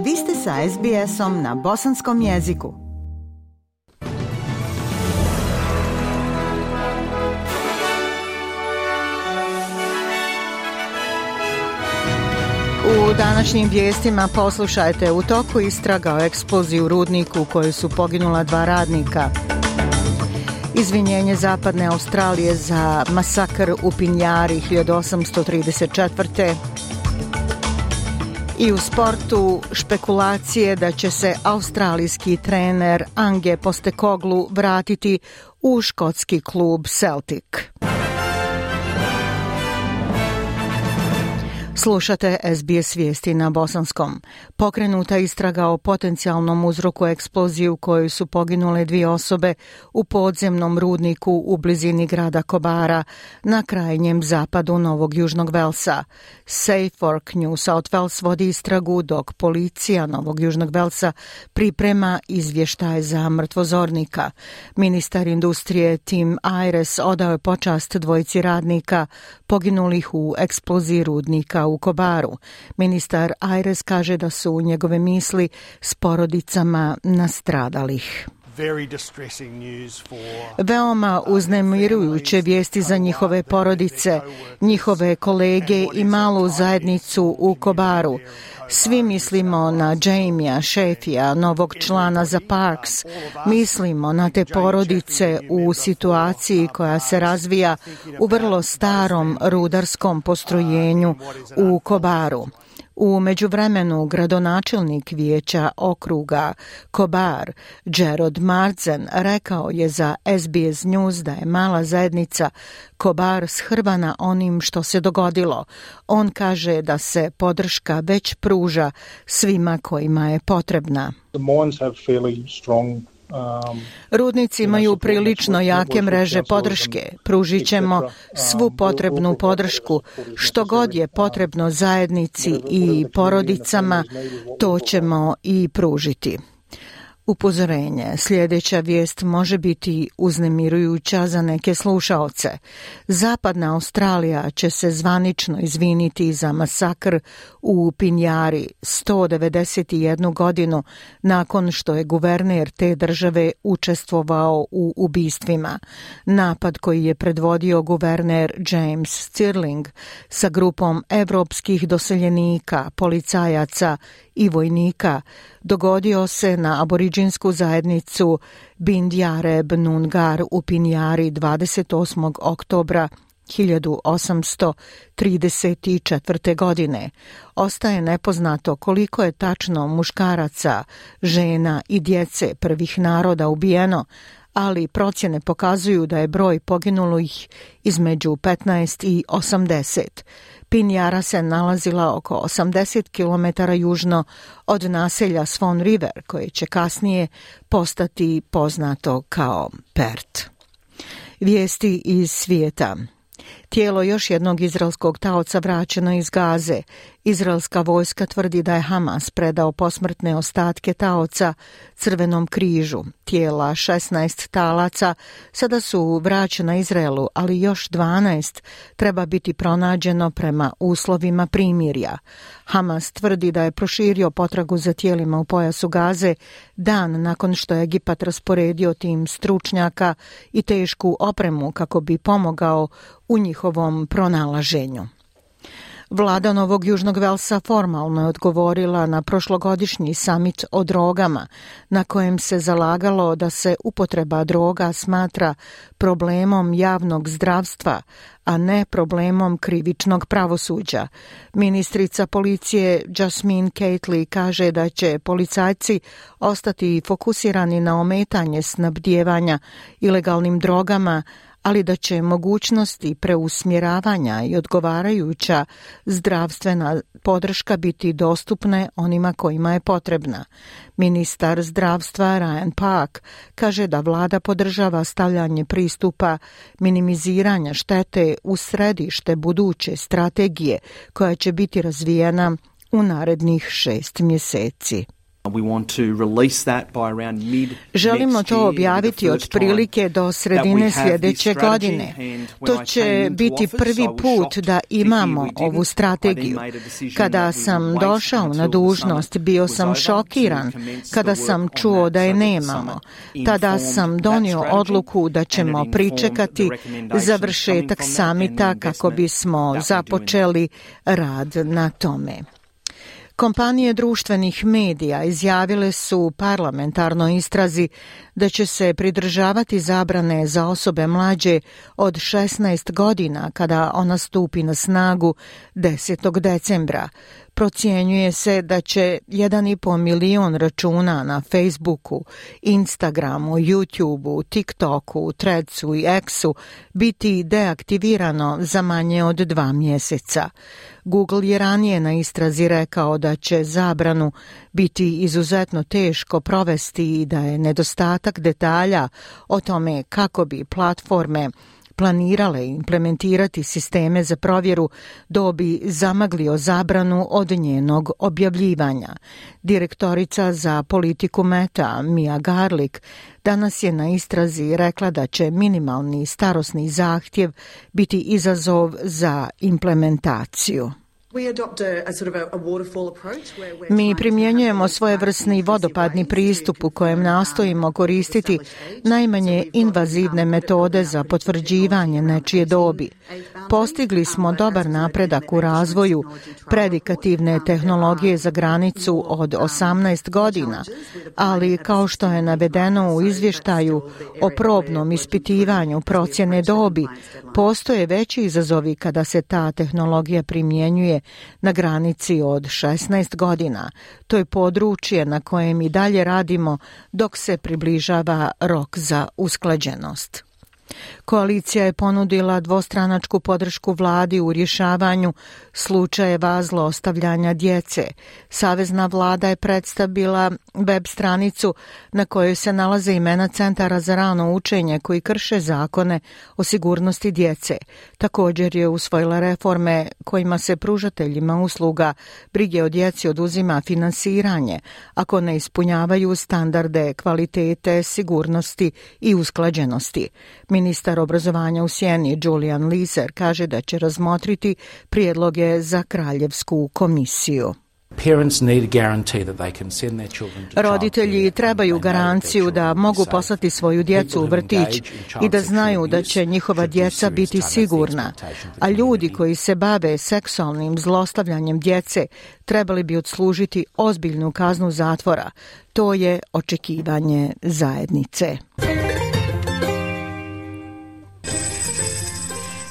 Vi ste sa SBS-om na bosanskom jeziku. U današnjim vijestima poslušajte: u toku istraga o eksploziji u rudniku u kojoj su poginula 2 radnika. Izvinjenje Zapadne Australije za masakr u Pinjari 1834. I u sportu špekulacije da će se australijski trener Ange Postecoglou vratiti u škotski klub Celtic. Slušate SBS vijesti na bosanskom. Pokrenuta istraga o potencijalnom uzroku eksplozije u kojoj su poginule 2 osobe u podzemnom rudniku u blizini grada Kobara na krajnjem zapadu Novog Južnog Velsa. Suffolk New South Wales vodi istragu dok policija Novog Južnog Velsa priprema izvještaj za mrtvozornika. Ministar industrije Tim Ayres odao je počast 2 radnika poginulih u eksploziji rudnika u Kobaru. Ministar Ayres kaže da su njegove misli s porodicama nastradalih. Veoma uznemirujuće vijesti za njihove porodice, njihove kolege i malu zajednicu u Kobaru. Svi mislimo na Jamija Shafia, novog člana za Parks. Mislimo na te porodice u situaciji koja se razvija u vrlo starom rudarskom postrojenju u Kobaru. U međuvremenu gradonačelnik vijeća okruga Kobar, Gerard Marzen, rekao je za SBS News da je mala zajednica Kobar shrvana onim što se dogodilo. On kaže da se podrška već pruža svima kojima je potrebna. Rudnici imaju prilično jake mreže podrške. Pružit ćemo svu potrebnu podršku. Što god je potrebno zajednici i porodicama, to ćemo i pružiti. Upozorenje: sljedeća vijest može biti uznemirujuća za neke slušaoce. Zapadna Australija će se zvanično izviniti za masakr u Pinjari 191 godinu nakon što je guverner te države učestvovao u ubistvima. Napad koji je predvodio guverner James Stirling sa grupom evropskih doseljenika, policajaca i vojnika dogodio se na aboriđinsku zajednicu Bindjareb Nungar u Pinjari 28. oktobra 1834. godine. Ostaje nepoznato koliko je tačno muškaraca, žena i djece prvih naroda ubijeno, ali procjene pokazuju da je broj poginulih između 15 i 80. Pinjara se nalazila oko 80 km južno od naselja Swan River, koje će kasnije postati poznato kao Perth. Vijesti iz svijeta. Tijelo još jednog izraelskog taoca vraćeno iz Gaze. Izraelska vojska tvrdi da je Hamas predao posmrtne ostatke taoca Crvenom križu. Tijela 16 talaca sada su vraćena Izraelu, ali još 12 treba biti pronađeno prema uslovima primirja. Hamas tvrdi da je proširio potragu za tijelima u pojasu Gaze dan nakon što je Egipat rasporedio tim stručnjaka i tešku opremu kako bi pomogao u njihovom pronalaženju. Vlada Novog Južnog Velsa formalno je odgovorila na prošlogodišnji samit o drogama, na kojem se zalagalo da se upotreba droga smatra problemom javnog zdravstva, a ne problemom krivičnog pravosuđa. Ministrica policije Jasmine Cately kaže da će policajci ostati fokusirani na ometanje snabdijevanja ilegalnim drogama, ali da će mogućnosti preusmjeravanja i odgovarajuća zdravstvena podrška biti dostupne onima kojima je potrebna. Ministar zdravstva Ryan Park kaže da vlada podržava stavljanje pristupa minimiziranja štete u središte buduće strategije koja će biti razvijena u narednih 6 mjeseci. Želimo to objaviti otprilike do sredine sljedeće godine. To će biti prvi put da imamo ovu strategiju. Kada sam došao na dužnost, bio sam šokiran kada sam čuo da je nemamo. Tada sam donio odluku da ćemo pričekati završetak samita kako bismo započeli rad na tome. Kompanije društvenih medija izjavile su parlamentarnoj istrazi da će se pridržavati zabrane za osobe mlađe od 16 godina kada ona stupi na snagu 10. decembra. Procjenjuje se da će 1,5 milion računa na Facebooku, Instagramu, YouTubeu, TikToku, Threadsu i Xu biti deaktivirano za manje od 2 mjeseca. Google je ranije na istrazi rekao da će zabranu biti izuzetno teško provesti i da je nedostatak detalja o tome kako bi platforme planirale implementirati sisteme za provjeru dobi zamaglio zabranu od njenog objavljivanja. Direktorica za politiku Meta, Mia Garlick, danas je na istrazi rekla da će minimalni starosni zahtjev biti izazov za implementaciju. Mi primjenjujemo svojevrsni vodopadni pristup u kojem nastojimo koristiti najmanje invazivne metode za potvrđivanje nečije dobi. Postigli smo dobar napredak u razvoju predikativne tehnologije za granicu od 18 godina, ali kao što je navedeno u izvještaju o probnom ispitivanju procjene dobi, postoje veći izazovi kada se ta tehnologija primjenjuje na granici od 16 godina. To je područje na kojem i dalje radimo dok se približava rok za usklađenost. Koalicija je ponudila dvostranačku podršku vladi u rješavanju slučajeva zlostavljanja djece. Savezna vlada je predstavila web stranicu na kojoj se nalaze imena centara za rano učenje koji krše zakone o sigurnosti djece. Također je usvojila reforme kojima se pružateljima usluga brige o djeci oduzima finansiranje ako ne ispunjavaju standarde kvalitete, sigurnosti i usklađenosti. Ministar obrazovanja u Sjeni Julian Leeser kaže da će razmotriti prijedloge za kraljevsku komisiju. Roditelji trebaju garanciju da mogu poslati svoju djecu u vrtić i da znaju da će njihova djeca biti sigurna, a ljudi koji se bave seksualnim zlostavljanjem djece trebali bi odslužiti ozbiljnu kaznu zatvora. To je očekivanje zajednice.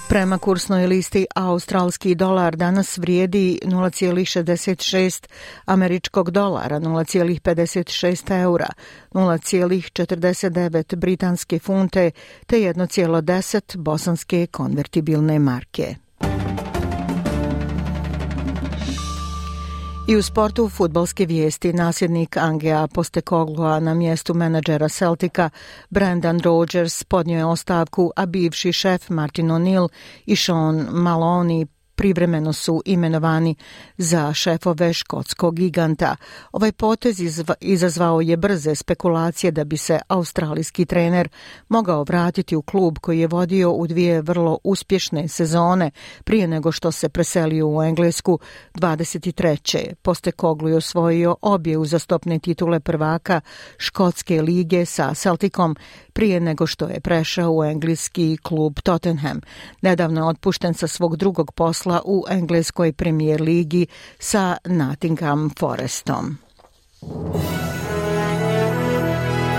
Prema kursnoj listi australski dolar danas vrijedi 0,66 američkog dolara, 0,56 eura, 0,49 britanske funte te 1,10 bosanske konvertibilne marke. I u sportu fudbalske vijesti nasljednik Angea Postecogloa na mjestu menadžera Celtica Brendan Rodgers podnio je ostavku, a bivši šef Martin O'Neill i Sean Maloney privremeno su imenovani za šefove škotskog giganta. Ovaj potez izazvao je brze spekulacije da bi se australijski trener mogao vratiti u klub koji je vodio u 2 vrlo uspješne sezone prije nego što se preselio u Englesku 23. Postecoglou je osvojio obje uzastopne titule prvaka škotske lige sa Celticom prije nego što je prešao u engleski klub Tottenham. Nedavno je otpušten sa svog drugog posla u engleskoj premijer ligi sa Nottingham Forestom.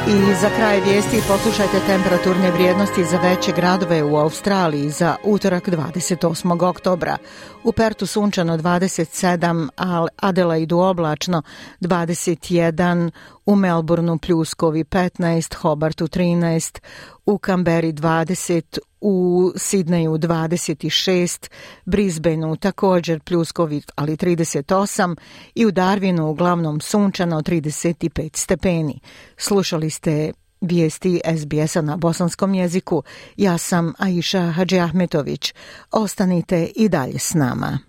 I za kraj vijesti poslušajte temperaturne vrijednosti za veće gradove u Australiji za utorak 28. oktobra. U Pertu sunčano 27, a Adelaidu oblačno 21, u Melbourneu pljuskovi 15, Hobartu 13, u Kamberi 20, u Sidneju 26, Brisbaneu također pljuskovi ali 38 i u Darwinu uglavnom sunčano 35 stepeni. Slušali ste vijesti SBS-a na bosanskom jeziku. Ja sam Aisha Hadžiahmetović. Ostanite i dalje s nama.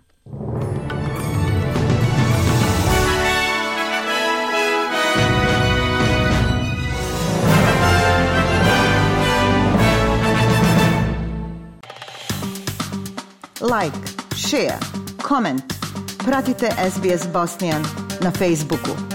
like, share, comment. Pratite SBS Bosnian na Facebooku.